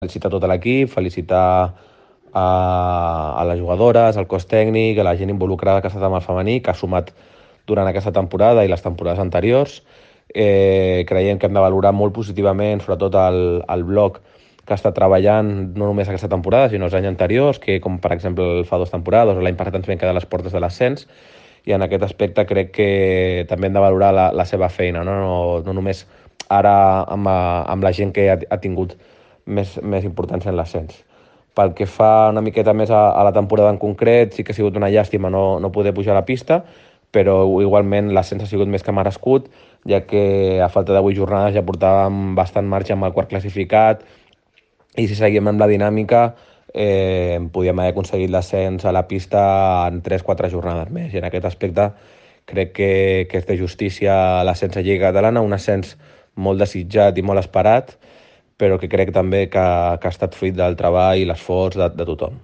felicitar tot l'equip, felicitar a les jugadores, al cos tècnic, a la gent involucrada que ha estat amb el femení, que ha sumat durant aquesta temporada i les temporades anteriors. Creiem que hem de valorar molt positivament, sobretot el bloc que està treballant no només aquesta temporada, sinó els anys anteriors, que com per exemple fa 2 temporades o l'any passat ens vam quedar a les portes de l'ascens, i en aquest aspecte crec que també hem de valorar la seva feina, no només ara amb la gent que ha tingut més importància en l'ascens. Pel que fa una miqueta més a la temporada en concret, sí que ha sigut una llàstima no poder pujar a la pista, però igualment l'ascens ha sigut més que merescut, ja que a falta de 8 jornades ja portàvem bastant marge amb el quart classificat, i si seguim amb la dinàmica podíem haver aconseguit l'ascens a la pista en 3-4 jornades més, i en aquest aspecte crec que és de justícia l'ascens a Lliga Catalana, un ascens molt desitjat i molt esperat, però que crec també que ha estat fruit del treball i l'esforç de tothom.